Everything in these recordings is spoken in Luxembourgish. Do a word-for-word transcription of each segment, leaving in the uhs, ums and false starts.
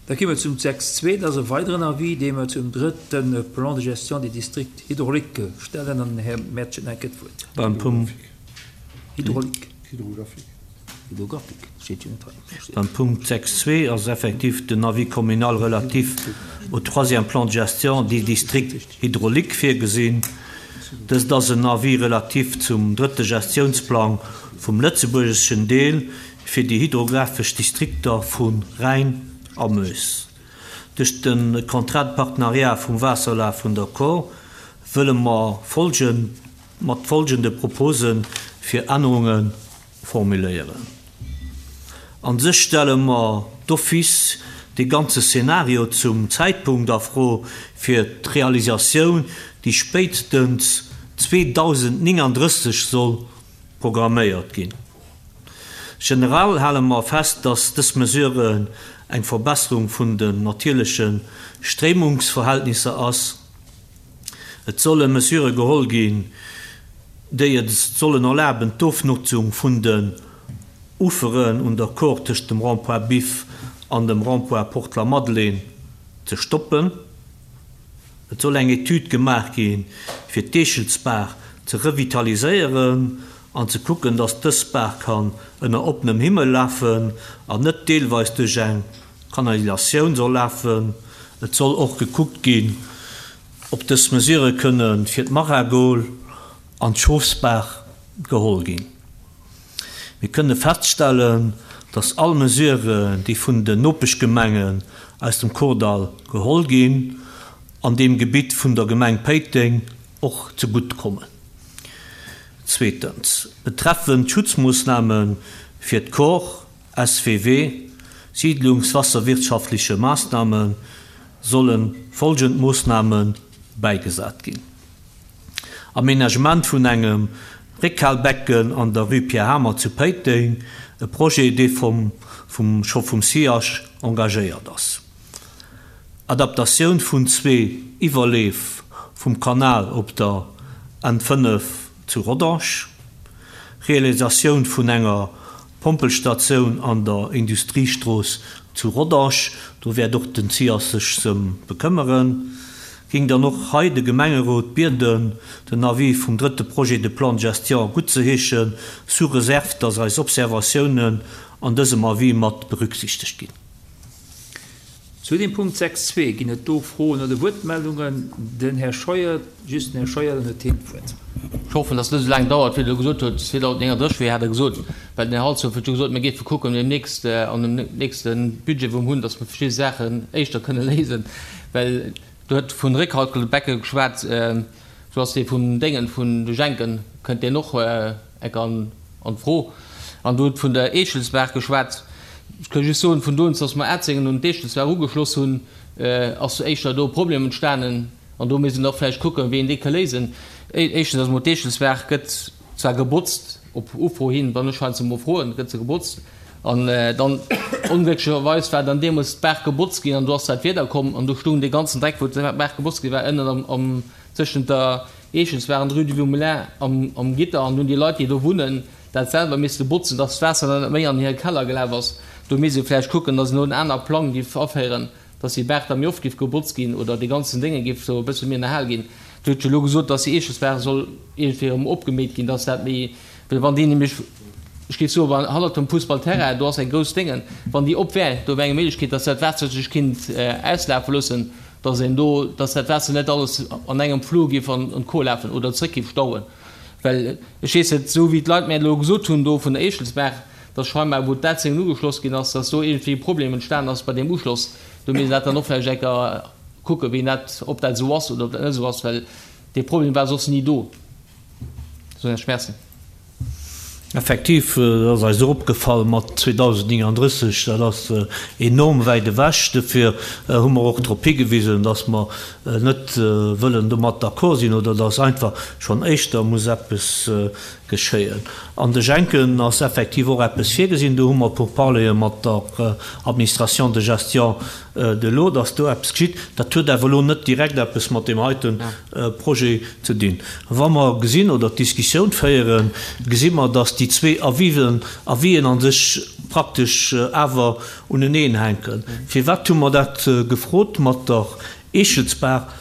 Da komme wir zum sechs Punkt zwei, das ist ein weiteren Avis, den wir zum dritten Plan de gestion des districts hydrauliques stellen. An Herr Mertsch hat das Wort. Beim Punkt Hydraulik. Hydrographique. Hydrographique, steht hier nicht drin. Beim Punkt sechs Punkt zwei ist effektiv den Avis communal relatif au troisième plan de gestion des districts hydrauliques vorgesehen. Das ist ein Avis relativ zum dritten Gestionsplan vom Lützeburgischen Deel für die hydrographischen Distrikte von Rhein am Meuse. Durch den Contrat de Partenariat vom Wasserlauf von der Kor wollen wir folgen, mit folgenden Proposen für Änderungen formulieren. An sich stellen wir d'office die ganze Szenario zum Zeitpunkt der Froh für die Realisation, die spätestens zweitausendneununddreißig soll programmiert gehen. Generell halten wir fest, dass diese Mesure eine Verbesserung von den natürlichen Strömungsverhältnissen ist. Es sollen Mesure geholt gehen, die es sollen erlauben, die Aufnutzung von den Ufern und der Kor zwischen dem Rond-Point Biff und dem Rond-Point Port-la-Madeleine zu stoppen. Es soll eine Etüde gemacht gehen, für die Eschelsbach zu revitalisieren und zu gucken, dass das Bach kann unter offenem Himmel laufen und nicht teilweise durch eine Kanalisation soll laufen. Es soll auch geguckt gehen, ob das Mesure können für die Maragol und Schofsbach geholt gehen. Wir können feststellen, dass alle Mesure, die von den Nopeschgemengen aus dem Kordall geholt gehen, an dem Gebiet von der Gemeinde Péiteng auch zugutekommen. Zweitens, betreffend Schutzmaßnahmen für die Kor, S W W, siedlungswasserwirtschaftliche Maßnahmen, sollen folgende Maßnahmen beigesetzt gehen. Aménagement von einem Réckhalbecken an der Rue Pierre Hamer zu Péiteng, ein Projet, der vom, vom, schon vom C H engagiert ist. Adaptation von zwei Überlev vom Kanal op der N fünf zu Rodange, Realisation von einer Pompelstation an der Industriestraße zu Rodange, da wär doch den C H sich zum bekümmern, ging dann noch hei de Gemengerot Bierden den Avis vom dritten Projet de Plan de Gestion gut zu heischen, sous réserve, dass als Observationen an diesem Avis mat berücksichtigt gehen. Zu dem Punkt sechs Punkt zwei gehen es do Frohen oder Wortmeldungen. Den Herr Scheuer, just den Herr Scheuer, den Herr Themenfurt. Ich hoffe, dass das nicht so lange dauert, wie du gesagt hast, zweitausendneununddreißig, wie hat er gesagt, weil der Hals hat gesagt, wir gehen gucken, demnächst, äh, an dem nächsten Budget vom Hund, dass wir verschiedene Sachen echter können lesen, weil du hast von Rückhaltbecke geschwärzt, äh, du hast die von Dingen, von den Schenken, könnt ihr noch, äh, an, an froh. Und du hast von der Eschelsberg geschwärzt. Ich kann just sagen, von uns, dass wir Erzingen und Eschelsberg angeschlossen haben, äh, als echt da Probleme entstanden. Und da müssen wir noch vielleicht gucken, wen die kann lesen. Erstens, dass man Eschelsberg wird zwar gebutzt, ob U F O hin, dann scheint es mal froh, wird sie gebutzt. Und, äh, dann unglücklicherweise war dann dem muss Berg gebutzt gehen und du hast halt wiederkommen und du stunden den ganzen Dreck, wo der Berg gebutzt war, innen am, am, zwischen der Eschelsberg und Rue du Moulin am, am Gitter und nun die Leute, die da wohnen, das selber müsste putzen, dass das Wasser dann mehr an ihren Keller gelaufen ist. Du musst vielleicht gucken, dass nur ein anderer Plan gibt, aufhören, dass die Berg dann mehr oft gebutzt gehen oder die ganzen Dinge gibt, so ein bisschen mehr in der Hall gehen. Du hast schon gesagt, dass die Eschelsberg soll irgendwie abgemäht gehen, dass das mehr, weil wenn die nämlich, ich gebe so, wenn Halle zum Fußballterrain, du hast ein großes Ding, wenn die abwehren, da wäre eine Möglichkeit, dass das Wasser sich Kind, äh, auslaufen lassen, dass, da, dass das Wasser nicht alles an einem Flur gibt und, und Co. laufen oder zurück gibt, stauen. Weil ich weiß jetzt, so wie die Leute mir gesagt haben, da von der Eschelsberg, dass scheinbar, wo das Ding nur geschlossen ging, dass das so irgendwie Probleme entstanden ist bei dem Anschluss. Du musst das dann noch vielleicht gucken, wie das, ob das so ist oder ob das nicht so ist, weil das Problem war sonst nie da. So ein Schmerzen. Effektiv, das ist uns aufgefallen mit zweitausendneununddreißig, das ist enorm weit weg. Dafür haben wir auch darauf hingewiesen, dass wir nicht wollen damit d'accord sind oder dass einfach schon echt, da muss etwas geschéien. An de Jenken ass effektiv och eppes virgesinn, do hu mer Pourparlere mat der Administration de gestion de l'eau, dass do eppes geschitt. Dat huet awer elo net direkt eppes mat deem heite Projet ze dinn. Wa mer gesinn oder d'Diskussioun féieren, gesi mer, dass déi zwee Avisen, Avisen an sech praktesch awer uneneen hänken. Firwat hu mer dat gefrot mat der Eechelsbaach?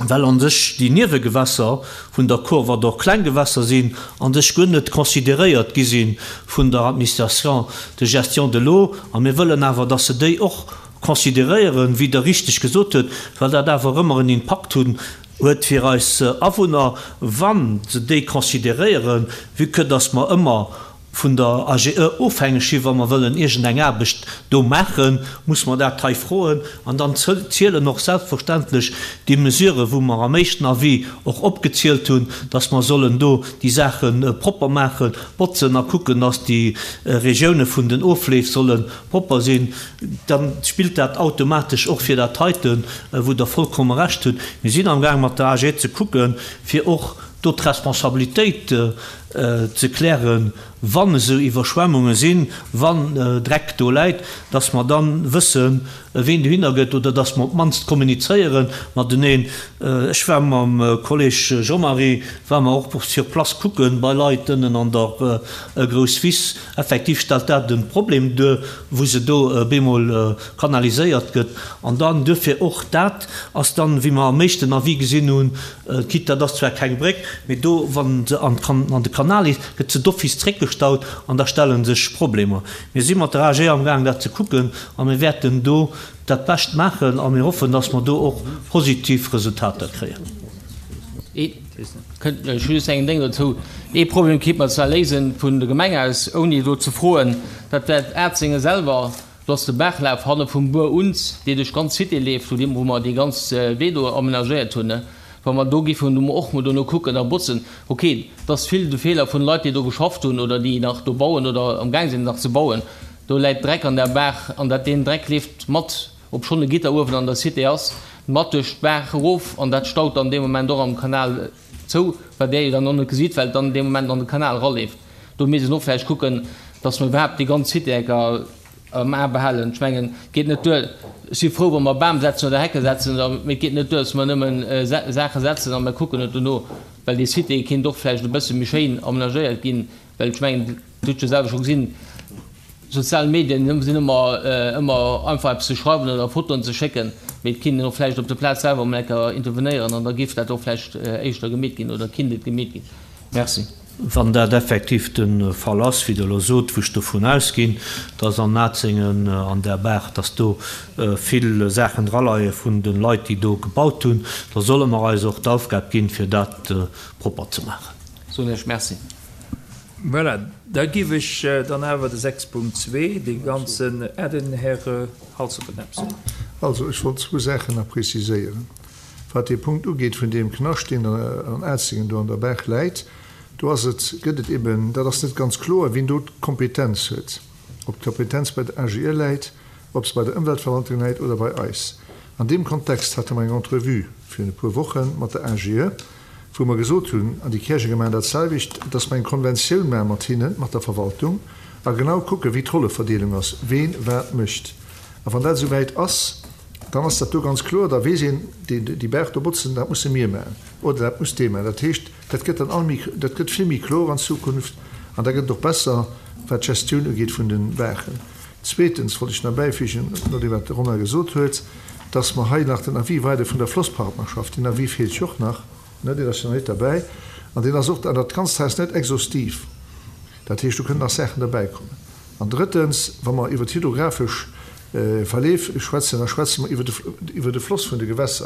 Well an sech déi Niewegewässer vun der Kor, wat och kleng Gewässer sinn, an sech guer net consideréiert gi sinn vun der Administration de gestion de l'eau. A mir wëllen awer, dass se déi och consideréieren, wéi Der richteg gesot hutt, well dat awer ëmmer en Impakt hunn huet fir eis Awunner, wann se déi consideréieren, vue que dass mer ëmmer vun der A G E ofhängeg sinn, wa mer wëllen iergendeng Aarbecht do maachen, muss mer dat hei froen. An dann zielen och selbstverständlech déi Mesuren, wou mer am éischten Avis och opgezielt hunn, dass mer sollen do déi Saachen propper maachen, botzen a kucken, dass déi Regioune vun den Ofleef solle propper sinn. Dann spillt dat automatesch och fir dat heiten, wou der vollkomme Recht hutt. Mir sinn am Gaang mat der A G E ze kucken, fir och do d'Responsabilitéit ze klären, wann esou Iwwerschwemmunge sinn, wann Dreck do läit, dass mer dann wëssen, ween dohinner gëtt oder dass mer op d'mannst kommunizéieren mateneen. Ech war mam Kolleg Jean-Marie, war mer och sur place kucken bei Leit ënnen an der Grousswiss. Effektiv stellt dat en Problem duer, wou se do bemol kanaliséiert gëtt. An dann duerfir och dat ass dann, wéi mer am meeschten Avis gesinn hunn, quitte dat ass zwar keng Bréck, mee do, wann se an de Kanal ist, gëtt se d'office zréckgestaut an da stellen sech Problemer. Mir si mat der A G am Gang dat ze kucken a mir wäerten do dat Bescht maachen a mir hoffen, dass mer do och positiv Resultater kréien. Ech hu just eng Ding dazu. Ee Problem kéint man zwar léisen vun der Gemeng aus, ouni do ze froen, dat wär d'Ärzenge selwer, do ass de Baachlaf hanne vum Buer Unz, dee duerch ganz Cité leeft, wou dem, wou mer déi ganz Wee do amenagéiert hunn, ne? Wa mer do giffen do och mol dono kucken a botzen, okay, dat ass vill de Feeler vun Leit, déi do geschafft hunn oder déi nach do bauen oder am Gang sinn nach ze bauen. Do läit Dreck an der Baach an dat deen Dreck leeft mat, ob schonn e Gitter uewen an der Cité ass, mat duerch d'Baach erof an dat staut dann dee Moment och am Kanal zou, wat där jo dann och net gesitt, well et dann dee Moment an de Kanal eraleeft. Do misst een och vläicht kucken, dass mer iwwerhaapt déi ganz Cité enker am A behalen. Ech mengen, et geet net duer, ech si frou, wa mer Bam setzen oder Hecke setzen, mee et geet net duer, dass mer nëmmen Saache setzen a mer kucken net dono, well déi Cité kéint och vläicht e bësse méi schéin amenagéiert ginn, well ech mengen, Dir hutt jo selwer scho gesinn, sozial Medien sinn ëmmer, ëmmer einfach eppes ze schreiwen oder Fotoen ze schécken, mee et kinnt een och vläicht op der Plaz selwer emol eng Kéier intervenéieren an da géif dat och vläicht éischter gemeet ginn oder kinnt et gemeet ginn. Merci. Wann dat effektiv de Fall ass, wéi Der elo sot, wou ech dovun ausginn, dass an Atzéngen an der Baach, dass do vill Saachen draleie vun de Leit, déi do gebaut hunn, da solle mer eis och d'Aufgab ginn, fir dat propper ze maachen. Soen ech Merci. Voilà, da giff ech dann awer de sechs Punkt zwee, dee ganzen, ah, den Här Halsdorf huet nach eppes. Also, ech wollt zwou Saachen nach preziséieren. Wat dee Punkt ugeet vun deem Knascht, deen an Atzéngen do an der Baach läit, do ass et, gëtt et eben, dat ass net ganz kloer, wien do d'Kompetenz huet. Ob d'Kompetenz bei der A G E läit, ob se bei der Ëmweltverwaltung läit oder bei eis. An deem Kontext hate mer eng Entrevue virun e puer Woche mat der A G E, wou mer gesot hunn, an déi Käerjenger Gemeng dat selwecht, dass mer eng Konventioun maache mat hinnen, mat der Verwaltung, a genau kucken, wéi d'Rolleverdeelung ass, ween wat mécht. A wann dat esouwäit ass, dann ass dat do ganz kloer, da weess een, déi, déi Baach do botzen, dat musse mir maachen oder dat muss dee maachen. Dat heescht, dat gëtt dann all méi, dat gëtt vill méi kloer an Zukunft an da gëtt et och besser, wat d'Gestioun ugeet vun den Baachen. Zweetens wollt ech nach bäifügen, nodeem wat de Romain gesot huet, dass mer hei nach den Avis weider vun der Flosspartnerschaft, den Avis feelt jo och nach, ne, deen ass jo nach net derbäi, an deen ass och, an dat Ganzt hei ass net exhaustiv, dat heescht, do kënnen nach Saachen derbäikommen. An drëttens, wa mer iwwer d'hydrographesch Verleef schwätzen, da schwätze mer iwwer de, iwwer de Floss vun de Gewässer.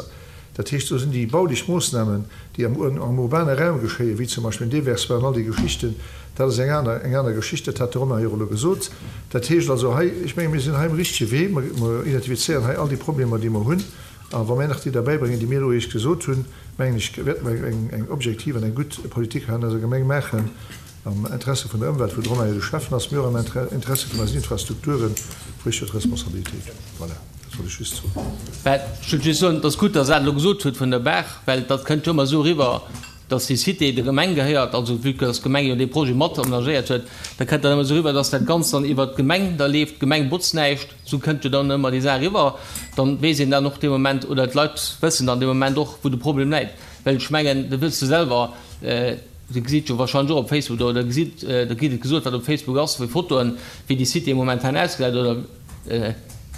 Dat heescht, do sinn déi baulich Moossnamen, déi am, am urbane Raum geschéien, wéi zum Beispill den Déversement an all déi Geschichten, dat ass eng aner, eng aner Geschicht, dat hat de Romain jo och elo gesot. Dat heescht also hei, ech menge mir sinn hei um richtege Wee, mer, mer identifizéieren hei all déi Problemer, déi mer hunn, a wa mir nach déi derbäibréngen, déi mir elo eréischt gesot hunn, mengen ech, wäerte mer eng, eng objektiv an eng gutt Politik hei an eiser Gemeng maachen, am Interesse vun der Ëmwelt, wou de Romain jo de Chef ass, mee och am Interesse vun eisen Infrastrukturen, wou ech jo d'Responsabilitéit hunn. Voilà, dat wollt ech just soen. Well, ech wollt just soen, et ass gutt, dass Der dat elo gesot hutt vun der Baach, well dat kënnt jo ëmmer esou eriwwer, dass déi Cité der Gemeng gehéiert, also vue que dass d'Gemeng jo dee Projet mat amenagéiert huet, da kënnt dat ëmmer esou eriwwer, dass dat Ganzt dann iwwert d'Gemeng da leeft, d'Gemeng botzt näischt, esou kënnt jo dann ëmmer déi Saach eriwwer. Dann weess een dann och dee Moment, oder d'Leit wëssen dann dee Moment och, wou de Problem läit. Well ech mengen, dat wësst Der selwer, Dir gesitt jo wahrscheinlech och op Facebook oder gesitt, da kritt et gesot, wat op Facebook ass, wéi Fotoen, wéi déi Cité momentan ausgesäit oder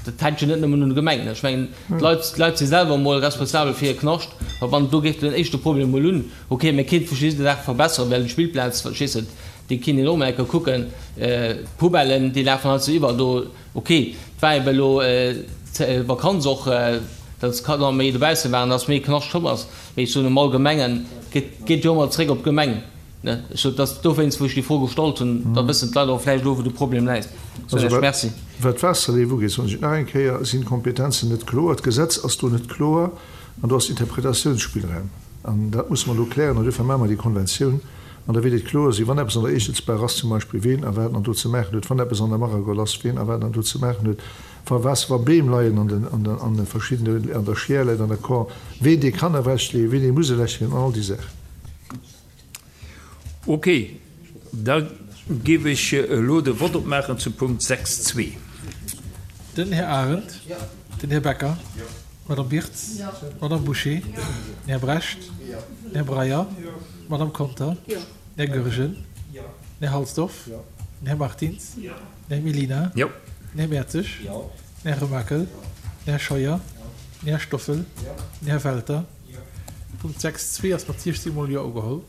dat hänkt jo net nëmmen un de Gemengen. Ech mengen, d'Leit, d'Leit si selwer emol responsabel fir hir Knascht. A wann do géif den éischte Problem emol un, okay, mir kéinte verschidde Saache verbesseren, well d'Spillplaz, verstees de, déi kinnt een och emol eng Kéier kucken, d'Poubellen, déi lafen heiansdo iwwer do, okay, et war eben elo Vakanz och, datt d'Kanner méi dobausse waren, datt méi Knascht komm ass. Mee ech soen am Allgemengen, geet jo ëmmer zréck op d'Gemeng. Ech sot, dass dowéinst, wou ech déi Fro gestallt hunn, da wëssen d'Leit och vläicht elo, wou de Problem läit. Soen ech Merci. Wat d'Waasserleef ugeet, soen ech et nach eng Kéier, sinn d'Kompetenzen net kloer, d'Gesetz ass do net kloer an do ass Interpretatiounsspillraum. An dat musse mer elo klären an duerfir maache mer déi Konventioun an da wäert et kloer sinn, wann eppes an der Eechelsbaach ass zum Beispill, ween a wat dann do ze maachen huet, wann eppes an der Maragoll ass, ween a wat dann do ze maachen huet. Wa Waasser, wa Beem leien an den, an den, an de verschiddene, an der Schiär läit, an der Kor, ween dee kann ewechleeën, ween dee muss ewechleeën an all déi Saachen. Ok, da géif ech elo de Vott opmaachen zum Punkt sechs zwee. Den Här Arendt. Den Här Becker. D'Madame Birtz. D'Madame Bouché. Den Här Brecht. Den Här Breyer. D'Madame Conter. Den Här Goergen. Den Här Halsdorf. Den Här Martins. Den Här Mellina. Den Här Mertzig. Den Här Remakel. Den Här Scheuer. Den Här Stoffel. Den Här Welter. Punkt sechs zwee ass mat siechzéng Mol Jo ugeholl.